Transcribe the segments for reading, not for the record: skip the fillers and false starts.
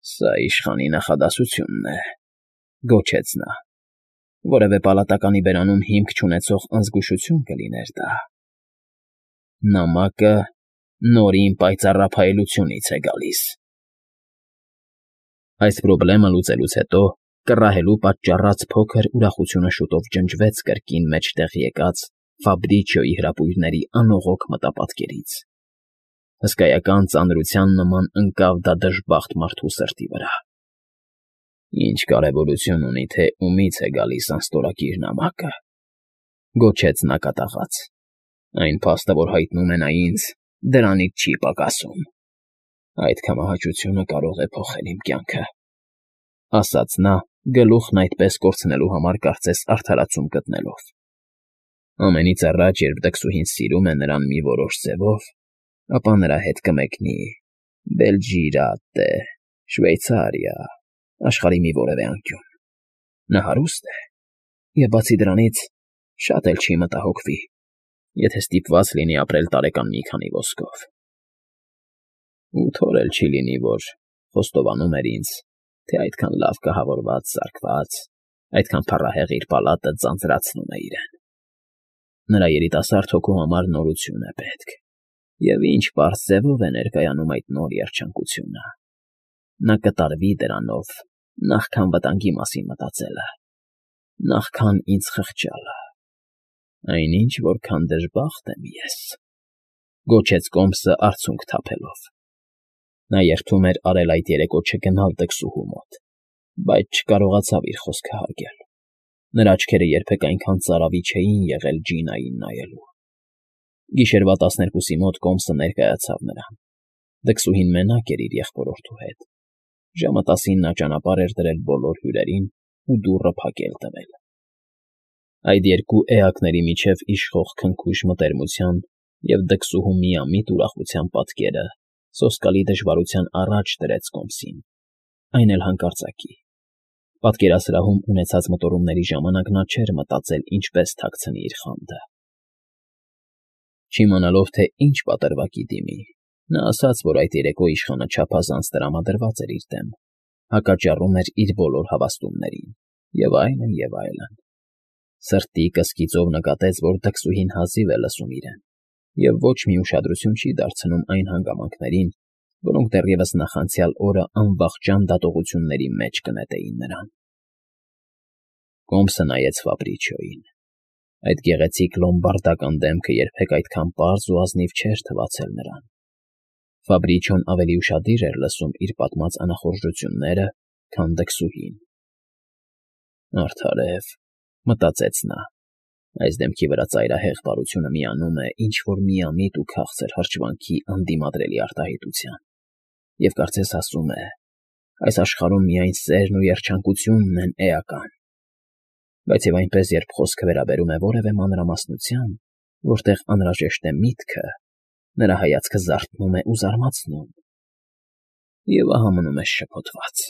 Սա իշխանի նախադասությունն է, գոչեց նա։ Որևէ պալատականի բերանում հիմք չունեցող անզգուշություն կլիներ դա։ Նամակը Նորին պայծառափայլությունից է գալիս։ Այս պրոբլեմը լուծելուց հետո կռահելու պատճառած փոքր ուրախությունը շուտով ջնջվեց կրկին մեջտեղ եկած Ֆաբրիչիոյի հրապույրների անողոք մտապատկերից։ Հսկայական ծանրության նման ընկավ դա դժբախտ մարդու սրտի վրա։ Ինչ կարևորություն ունի, թե ումից է գալիս անստորագիր նամակը, գոչեց նա կատաղած։ Այն փաստը, որ հայտնում է նա ինձ, դրանից չի պակասում։ Այդ կամահաճությունը կարող է փոխել իմ կյանքը, ասաց նա, գլուխն այդպես կորցնելու համար կարծես արդարացում գտնելով։ Ամենից առաջ, երբ դքսուհին սիրում է նրան մի որոշ ձևով, ապա նրա հետ կմեկնի Բելգիրատե, Շվեյցարիա, աշխարհի մի որևէ անկյուն։ Նա հարուստ է, և բացի դրանից շատ էլ չի մտահոգվի, եթե ստիպված լինի ապրել տարեկան մի քանի ոսկով։ Ու թոր էլ չի լինի, որ խոստովանում էր ինձ, թե այդքան լավ կահավորված, զարկված, այդքան փառահեղ իր պալատը ձանձրացնում է իրեն։ Նրա երիտասարդ հոգու համար նորություն է պետք, և ինչ պարզ ձևով է ներկայանում այդ նոր երջանկությունը։ Նա կտարվի դրանով, նախքան վտանգի մասին մտածելը, նախքան ինձ խղճալը։ Այնինչ, որքան դժբախտ եմ ես, գոչեց Կոմսը արցունք թափելով։ Նա երդում էր արել այդ երեկո չգնալ դքսուհու մոտ, բայց չկարողացավ իր խոսքը հարգել։ Նրա աչքերը երբեք այնքան ծարավի չէին եղել Ջինային նայելու։ Գիշերվա 12-ի մոտ Կոմսը ներկայացավ նրան։ Դքսուհին մենակ էր իր եղբորորդու հետ։ Ժամը 10-ին նա ճանապարհ էր դրել բոլոր հյուրերին ու դուռը փակել տվել։ Այդ երկու էակների միջև իշխող քնքուշ մտերմության և դքսուհու միամիտ ուրախության պատկերը սոսկալի դժվարության առաջ դրեց Կոմսին, այն էլ հանկարծակի։ Պատկերասրահում ունեցած մտորումների ժամանակ նա չէր մտածել ինչպես թաքցնի իր խանդը։ Չիմանալով, թե ինչ պատրվակի դիմի, նա ասաց, որ այդ երեկո իշխանը չափազանց տրամադրված էր իր դեմ, հակաճառում էր իր բոլոր հավաստումներին, և այլն, և այլն։ Սրտի կսկիծով նկատեց, որ դքսուհին հազիվ է լսում իրեն, և ոչ մի ուշադրություն չի դարձնում այն հանգամանքներին, որոնք դեռևս նախանցյալ օրը անվախճան դատողությունների մեջ կնետեին նրան։ Կոմսը նայեց Ֆաբրիչիոյին։ Այդ գեղեցիկ լոմբարդական դեմքը երբեք այդքան պարզ ու ազնիվ չէր թվացել նրան։ Ֆաբրիչիոն ավելի ուշադիր էր լսում իր պատմած անախորժությունները, քան դքսուհին։ Արդարև, մտածեց նա, այս դեմքի վրա ծայրահեղ բարությունը միանում է ինչ-որ միամիտ ու քաղցր հրճվանքի անդիմադրելի արտահայտության, և կարծես ասում է. այս աշխարհում միայն սերն ու երջանկությունն են էական։ Բայց և այնպես, երբ խոսքը վերաբերում է որևէ մանրամասնության, որտեղ անհրաժեշտ է միտքը, նրա հայացքը զարթնում է ու զարմացնում, և ահա մնում ես շփոթված։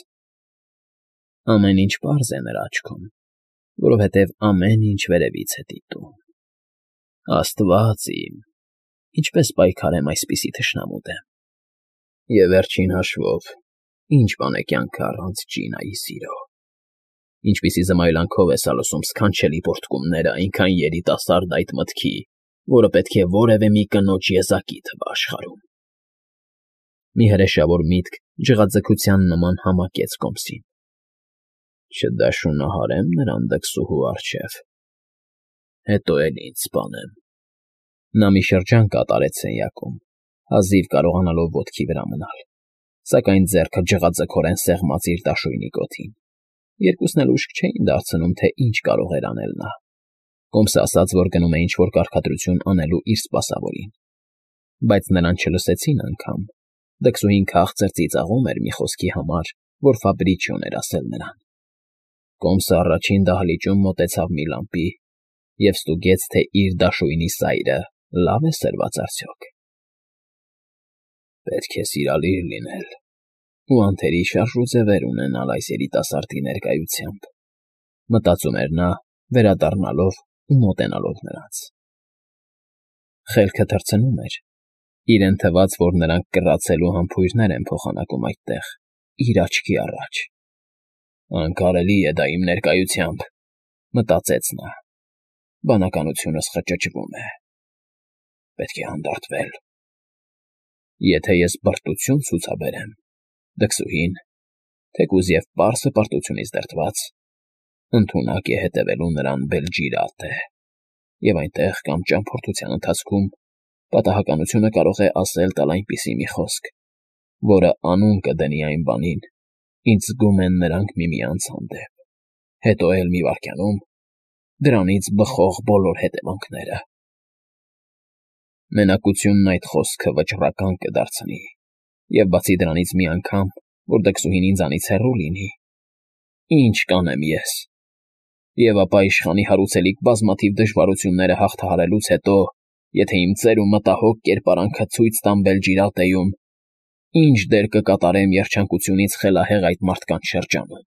Ամեն ինչ պարզ է նրա աչքում, որովհետև ամեն ինչ վերևից է դիտում։ Աստված իմ, ինչպես պայքարեմ այսպիսի թշնամու դեմ։ Եվ վերջին հաշվով, ինչ բան է կյանքը առանց Ջինայի սիրո։ Ինչպիսի զմայլանքով է սալոսում սքանչելի պոռթկումները այնքան երիտասարդ այդ մտքի, որը պետք է որևէ մի կնոջ եզակի թվա աշխարհում։ Մի հրեշավոր միտք ջղաձգության նման համակեց Կոմսին։ Չդաշունահարեմ նրան դքսուհու առջև, հետո էլ ինձ սպանեմ։ Նա մի շրջան կատարեց սենյակում, հազիվ կարողանալով ոտքի վրա մնալ, սակայն ձեռքը ջղաձգորեն սեղմած իր դաշույնի կոթին։ Երկուսն էլ ուշք չէին դարձնում, թե ինչ կարող էր անել նա։ Կոմսը ասաց, որ գնում է ինչ-որ կարգադրություն անելու իր սպասավորին։ Բայց նրան չլսեցին անգամ։ Դքսուհին քաղցր ծիծաղում էր մի խոսքի համար, որ Ֆաբրիչիոն էր ասել նրան։ Կոմսը առաջին դահլիճում մոտեցավ մի լամպի և ստուգեց, թե իր դաշույնի սայրը լավ է սրված արդյոք։ Պետք է սիրալիր լինել ու անթերի շարժ ու ձևեր ունենալ այս երիտասարդի ներկայությամբ, մտածում էր նա, վերադառնալով ու մոտենալով նրանց։ Խելքը թռցնում էր։ Իրեն թվաց, որ նրանք կռացելու համբույրներ են փոխանակում այդտեղ, իր աչքի առաջ։ Անկարելի է դա իմ ներկայությամբ, մտածեց նա։ Բանականությունս խճճվում է։ Պետք է հանդարտվել։ Եթե ես բրտություն ցուցաբերեմ, դքսուհին, թեկուզ և պարսը պարտությունից դրդված, ընդունակ է հետևելու նրան Բելջիրատե, և այնտեղ կամ ճամփորդության ընթացքում պատահականությունը կարող է ասել տալ այնպիսի մի խոսք, որը անուն կդնի այն բանին, ինչ զգում են նրանք միմյանց հանդեպ, հետո էլ մի վայրկյանում դրանից բխող բոլոր հետևանքները։ Մենակությունն այդ խոսքը վճռական կդարձնի, և բացի դրանից մի անգամ, որ դքսուհին ինձանից հեռու լինի, ինչ կանեմ ես։ Եվ ապա իշխանի հարուցելիք բազմաթիվ դժվարությունները հաղթահարելուց հետո, եթե իմ ծեր ու մտահոգ կերպարանքը ցույց տամ Բելջիրատեում, ինչ դեր կկատարեմ երջանկությունից խելահեղ այդ մարդկանց շրջանում։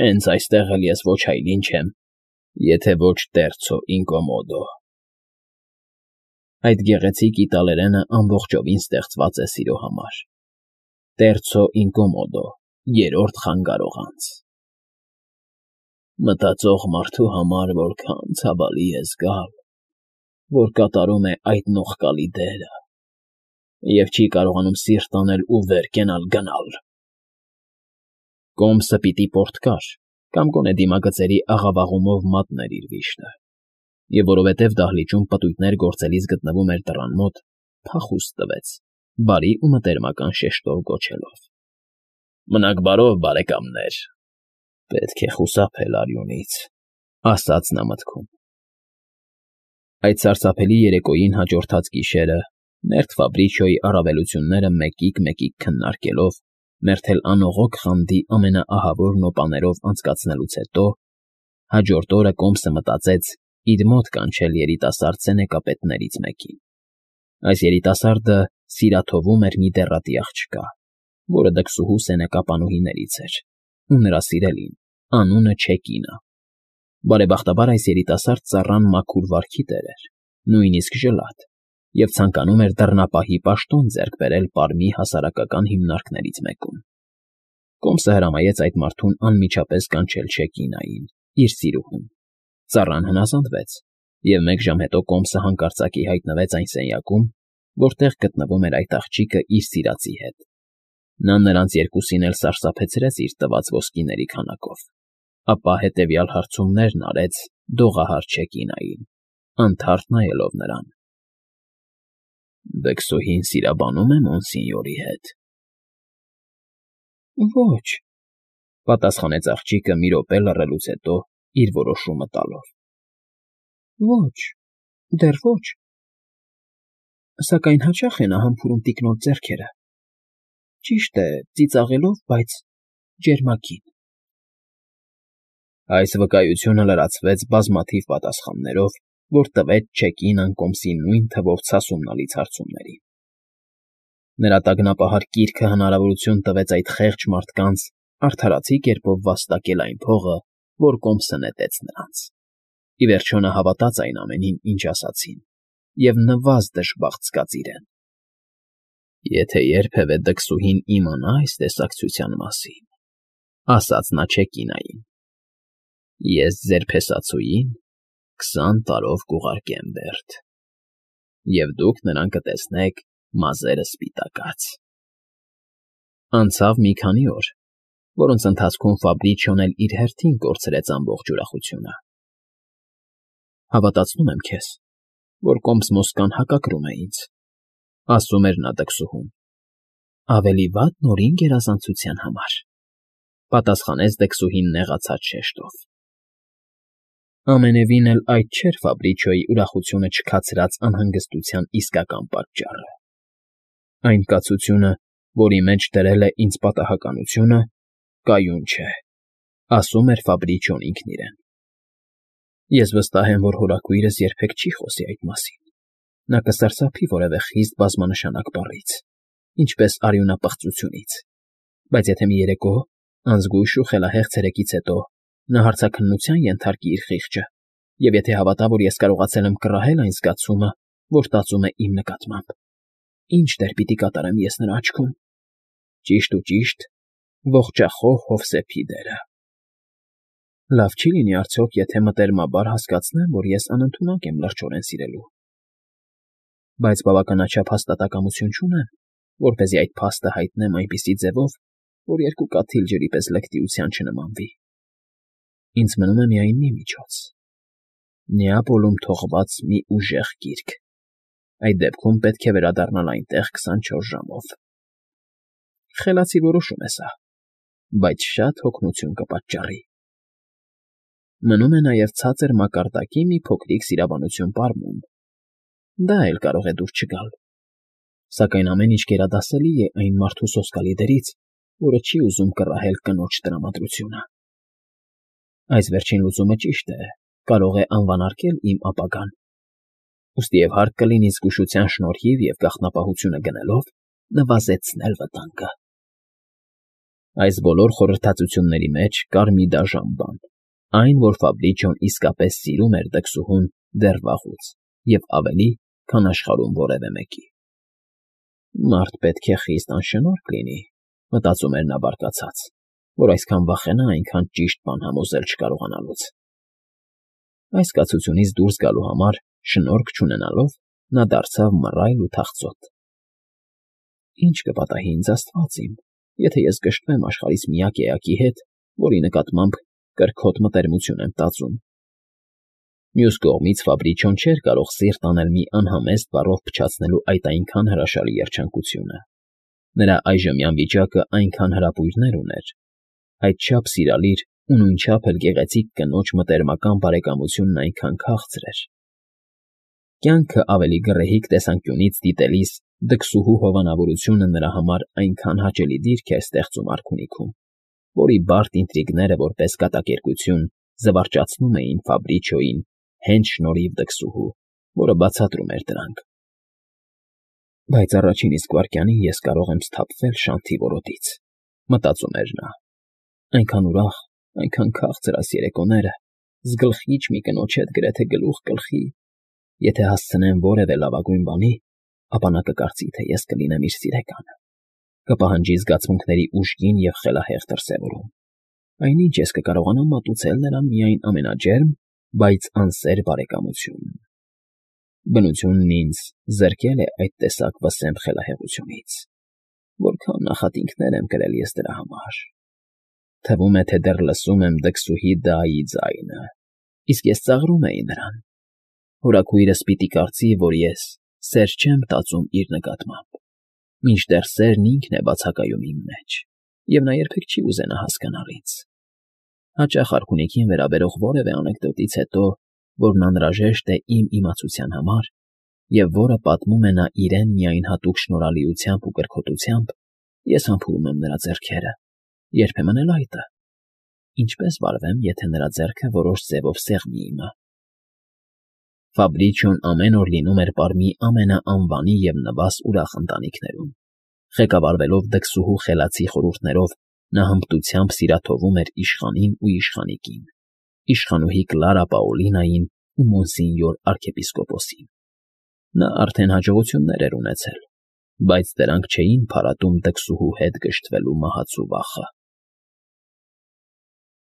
Հենց այստեղ էլ ես ոչ այլ ինչ եմ, եթե ոչ տերցո ինկոմոդո։ Այդ գեղեցիկ իտալերենը ամբողջովին ստեղծված է սիրո համար։ Տերցո ինկոմոդո, երրորդ խանգարող անձ։ Մտածող մարդու համար որքան ցավալի է զգալ, որ կատարում է այդ նողկալի դերը և չի կարողանում սիրտ անել ու վեր կենալ գնալ։ Կոմսը պիտի պորտկար կամ գոնե դիմագծերի աղավաղումով մատներ իր վիշտը, և որովհետև դահլիճում պտույտներ գործելիս գտնվում էր դռան մոտ, փախուստ տվեց, բարի ու մտերմական շեշտով գոչելով. «Մնաք բարով, բարեկամներ»։ Պետք է խուսափել արյունից, ասաց նա մտքում։ Այդ սարսափելի երեկոյին հաջորդած գիշերը, մերթ Ֆաբրիչիոյի առավելությունները մեկիկ քննարկելով, մերթ էլ անողոք խանդի ամենաահավոր նոպաներով անցկացնելուց հետո, հաջորդ օրը Կոմսը մտածեց իր մոտ կանչել երիտասարդ սենեկապետներից մեկին։ Այս երիտասարդը սիրաթովում էր մի դեռատի աղջկա, որը դքսուհու սենեկապանուհիներից էր, ու նրա սիրելին, անունը Չեկինա։ Բարեբախտաբար այս երիտասարդ ծառան մաքուր վարքի տեր էր, նույնիսկ ժլատ, և ցանկանում էր դռնապահի պաշտոն ձեռք բերել Պարմի հասարակական հիմնարկներից մեկում։ Կոմսը հրամայեց այդ մարդուն անմիջապես կանչել Չեկինային, իր սիրուհուն։ Ծառան հնազանդվեց, և մեկ ժամ հետո Կոմսը հանկարծակի հայտնվեց այն սենյակում, որտեղ գտնվում էր այդ աղջիկը իր սիրածի հետ։ Նա նրանց երկուսին էլ սարսափեցրեց իր տված ոսկիների քանակով, ապա հետևյալ հարցումներն արեց դողահար Չեկինային, անթարթ նայելով նրան. «Դքսուհին սիրաբանո՞ւմ է Մոնսինյորի հետ»։ «Ոչ», պատասխանեց աղջիկը մի րոպե լռելուց հետո իր որոշումը տալով։ «Ոչ, դեռ ոչ, սակայն հաճախ է նա համբուրում տիկնոջ ձեռքերը, ճիշտ է, ծիծաղելով, բայց ջերմագին»։ Այս վկայությունը լրացվեց բազմաթիվ պատասխաններով, որ տվեց Չեկինան Կոմսի նույն թվով ցասումնալից հարցումներին։ Նրա տագնապահար կիրքը հնարավորություն տվեց այդ խեղճ մարդկանց արդարացի կերպով վաստակել այն փողը, որ Կոմսը նետեց նրանց։ Ի վերջո նա հավատաց այն ամենին, ինչ ասացին, և նվազ դժբախտ զգաց իրեն։ «Եթե երբևէ դքսուհին իմանա այս տեսակցության մասին», ասաց նա Չեկինային, «ես ձեր փեսացուին 20 տարով կուղարկեմ Բերդ, և դուք նրան կտեսնեք մազերը սպիտակած»։ Անցավ մի քանի օր, որոնց ընթացքում Ֆաբրիչիոն էլ իր հերթին կորցրեց ամբողջ ուրախությունը։ «Հավատացնում եմ քեզ, որ Կոմս Մոսկվան հակակրում է ինձ», ասում էր նա դքսուհուն։ «Ավելի վատ Նորին գերազանցության համար», պատասխանեց դքսուհին նեղացած շեշտով։ Ամենևին էլ այդ չէր Ֆաբրիչիոյի ուրախությունը չքացրած անհանգստության իսկական պատճառը։ Այն կացությունը, որի մեջ դրել է ինձ պատահականությունը, կայուն չէ, ասում էր Ֆաբրիչիոն ինքն իրեն։ Ես վստահ եմ, որ հորաքույրս երբեք չի խոսի այդ մասին։ Նա կսարսափի որևէ խիստ բազմանշանակ բառից, ինչպես արյունապղծությունից, բայց եթե մի երեկո, անզգույշ ու խելահեղ ցերեկից հետո նա հարցաքննության ենթարկի իր խիղճը, և եթե հավատա, որ ես կարողացել եմ կռահել այն զգացումը, որ տածում է իմ նկատմամբ, ինչ դեր պիտի կատարեմ ես նրա աչքում։ Ճիշտ ու ճիշտ, ողջախոհ Հովսեփի դերը։ Լավ չի լինի արդյոք, եթե մտերմաբար հասկացնեմ, որ ես անընդունակ եմ լրջորեն սիրելու։ Բայց բավականաչափ հաստատակամություն չունեմ, որպեսզի այդ փաստը հայտնեմ այնպիսի ձևով, որ երկու կաթիլ ջրի պես լկտիության չնմանվի։ Ինձ մնում է միայն մի միջոց. Նեապոլում թողված մի ուժեղ գիրք։ Այդ դեպքում պետք է վերադառնալ այնտեղ 24 ժամով։ Խելացի որոշում է սա, բայց շատ հոգնություն կպատճառի։ Մնում է նաև ցածր մակարդակի մի փոքրիկ սիրաբանություն պարմում։ Դա էլ կարող է դուր չգալ։ Սակայն ամեն ինչ գերադասելի է այն մարդու սոսկալի դերից, որը չի ուզում կռահել կնոջ տրամադրությունը։ Այս վերջին լուծումը ճիշտ է, կարող է անվանարկել իմ ապագան։ Ուստի և հարկ կլինի զգուշության շնորհիվ և գաղտնապահությունը գնելով նվազեցնել վտանգը։ Այս բոլոր խորհրդածությունների մեջ կար մի դաժան բան, այն, որ Ֆաբրիչոն իսկապես սիրում էր դքսուհուն դեռ վաղուց և ավելի, քան աշխարհում որևէ մեկի։ Մարդ պետք է խիստ անշնորհք լինի, մտածում էր նա բարկացած, որ այսքան վախենա այնքան ճիշտ բան համոզել չկարողանալուց։ Այս կացությունից դուրս գալու համար, շնորհք չունենալով, նա դարձավ մռայլ ու թախծոտ։ Ինչ կպատահի ինձ Աստված իմ, եթե ես կշռեմ աշխարհիս միակ էակի հետ, որի նկատմամբ կրքոտ մտերմություն եմ տածում։ Մյուս կողմից Ֆաբրիչոն չէր կարող սիրտ անել մի անհամեստ բառով փչացնելու այդ այնքան հրաշալի երջանկությունը։ Նրա այժմյան վիճակը այնքան հրապույրներ ուներ, այդչափ սիրալիր ու նույնչափ էլ գեղեցիկ կնոջ մտերմական բարեկամությունն այնքան քաղցր էր։ Կյանքը ավելի գռեհիկ տեսանկյունից դիտելիս դքսուհու հովանավորությունը նրա համար այնքան հաճելի դիրք էր ստեղծում արքունիքում, որի բարդ ինտրիգները որպես կատակերգություն զվարճացնում էին Ֆաբրիչոյին հենց շնորհիվ դքսուհու, որը բացատրում էր դրանք։ Բայց առաջին իսկ վայրկյանին ես կարող եմ սթափվել շանթի որոտից, մտածում էր նա։ Այնքան ուրախ, այնքան քաղցր այս երեկոները, զգլխիչ մի կնոջ հետ գրեթե գլուխ գլխի, եթե հասցնեմ որևէ լավագույն բանի, ապա նա կկարծի, թե ես կլինեմ իր սիրեկանը, կպահանջի զգացմունքների ուժգին և խելահեղ դրսևորում։ Այնինչ ես կկարողանամ մատուցել նրան միայն ամենաջերմ, բայց անսեր բարեկամություն։ Բնությունն ինձ զրկել է այդ տեսակ վսեմ խելահեղությունից։ Որքան նախատինքներ եմ կրել ես դրա համար։ Թվում է, թե դեռ լսում եմ դքսուհի Դայի ձայնը, իսկ ես ծաղրում էի նրան։ Հորաքույրս պիտի կարծի, որ ես սեր չեմ տածում իր նկատմամբ, մինչդեռ սերն ինքն է բացակայում իմ մեջ, և նա երբեք չի ուզենա հասկանալ ինձ։ Հաճախ արքունիքին վերաբերող որևէ անեկդոտից հետո, որն անհրաժեշտ է իմ իմացության համար, և որը պատմում է նա իրեն միայն հատուկ շնորհալիությամբ ու կրքոտությամբ, ես համբուրում եմ նրա ձեռքերը, երբեմն էլ այտը։ Ինչպես վարվեմ, եթե նրա ձեռքը որոշ ձևով սեղմի իմը։ Ֆաբրիչոն ամեն օր լինում էր պարմի ամենաանվանի և նվազ ուրախ ընտանիքներում։ Ղեկավարվելով դքսուհու խելացի խորհուրդներով, նա հմտությամբ սիրաթովում էր իշխանին ու իշխանիկին, իշխանուհի Կլարա Պաոլինային ու մոնսինյոր արքեպիսկոպոսին։ Նա արդեն հաջողություններ էր ունեցել, բայց դրանք չէին փարատում դքսուհու հետ գժտվելու մահացու վախը։